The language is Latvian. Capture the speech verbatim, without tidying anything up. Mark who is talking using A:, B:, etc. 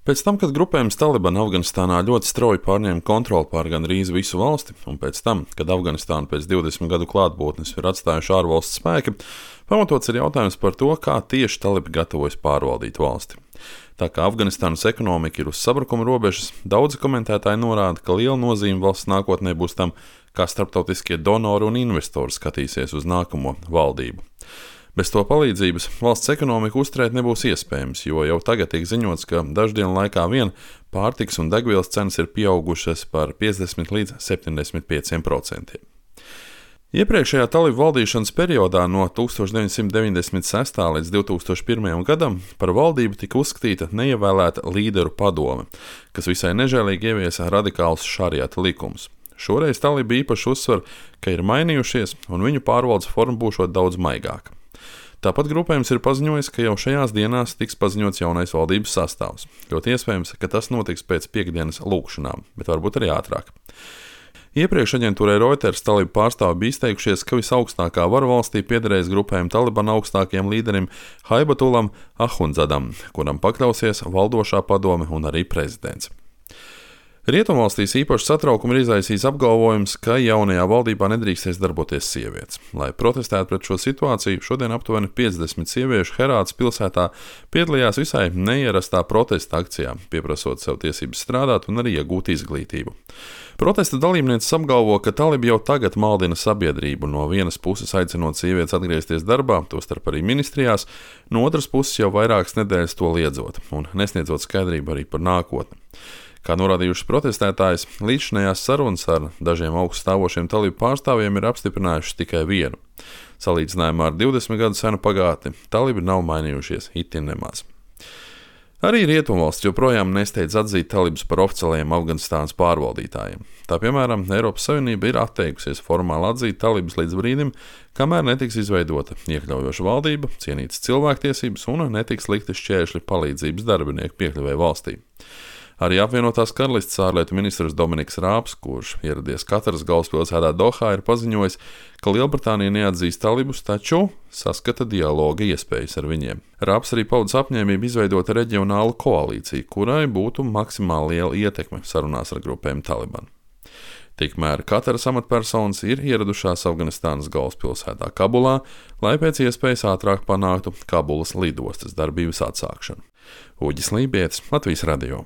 A: Pēc tam, kad grupējums Taliban Afganistānā ļoti strauji pārņēma kontroli pār gandrīz visu valsti, un pēc tam, kad Afganistānu pēc divdesmit gadu klātbūtnes ir atstājuši ārvalstu spēki, pamatots ir jautājums par to, kā tieši talibi gatavojas pārvaldīt valsti. Tā kā Afganistānas ekonomika ir uz sabrukuma robežas, daudzi komentētāji norāda, ka liela nozīme valsts nākotnē būs tam, kā starptautiskie donori un investori skatīsies uz nākamo valdību. Bez to palīdzības valsts ekonomiku uzturēt nebūs iespējams, jo jau tagad tiek ziņots, ka daždienu laikā vien pārtikas un degvielas cenas ir pieaugušas par piecdesmit līdz septiņdesmit pieciem procentiem. Iepriekšējā talibu valdīšanas periodā no tūkstoš deviņsimt deviņdesmit sestā līdz divtūkstoš pirmajam gadam par valdību tika uzskatīta neievēlēta līderu padome, kas visai nežēlīgi ieviesa radikālus šariata likumus. Šoreiz talibi īpaši uzsver, ka ir mainījušies un viņu pārvaldes forma būšot daudz maigāka. Tāpat grupējums ir paziņojis, ka jau šajās dienās tiks paziņots jaunais valdības sastāvs. Ļoti iespējams, ka tas notiks pēc piekdienas lūkšanām, bet varbūt arī ātrāk. Iepriekš aģentūrai Reuters talibu pārstāvi bija izteikušies, ka visaugstākā vara valstī piederēs grupējuma Taliban augstākajam līderim Haibatulam Ahundzadam, kuram pakļausies valdošā padome un arī prezidents. Rietumvalstīs īpaši satraukumu ir izraisījis apgalvojums, ka jaunajā valdībā nedrīkstēs darboties sievietes. Lai protestētu pret šo situāciju, šodien aptuveni piecdesmit sieviešu Herātas pilsētā piedalījās visai neierastā protesta akcijā, pieprasot sev tiesības strādāt un arī iegūt izglītību. Protesta dalībnieces apgalvo, ka talibi jau tagad maldina sabiedrību, no vienas puses aicinot sievietes atgriezties darbā, tostarp arī ministrijās, no otras puses jau vairākas nedēļas to liedzot un nesniedzot skaidrību arī par nākotni. Kā norādījuši protestētājs, līdzinājās sarunas ar dažiem augststāvošiem talibu pārstāvjiem ir apstiprinājušas tikai vienu. Salīdzinājumā ar divdesmit gadu senu pagātni talibi nav mainījušies itin nemaz. Arī Rietumvalsts joprojām nesteidz atzīt talibus par oficiālajiem Afganistānas pārvaldītājiem. Tā piemēram, Eiropas Savienība ir atteikusies formāli atzīt talibus līdz brīdim, kamēr netiks izveidota iekļaujoša valdība, cienītas cilvēktiesības un netiks likti šķēršļi palīdzības darbinieku piekļuvēji valstī. Arī apvienotās karalistes ārlietu ministrs Dominiks Rāps, kurš ieradies Kataras galvaspilsētā Dohā, ir paziņojis, ka Lielbritānija neatzīst talibus, taču saskata dialoga iespējas ar viņiem. Rāps arī paudis apņēmību izveidot reģionālu koalīciju, kurai būtu maksimāli liela ietekme sarunās ar grupēm Taliban. Tikmēr Kataras amatpersonas ir ieradušās Afganistānas galvaspilsētā Kabulā, lai pēc iespējas ātrāk panāktu Kabulas lidostas darbības atsākšanu. Uģis Lībietis, Latvijas radio.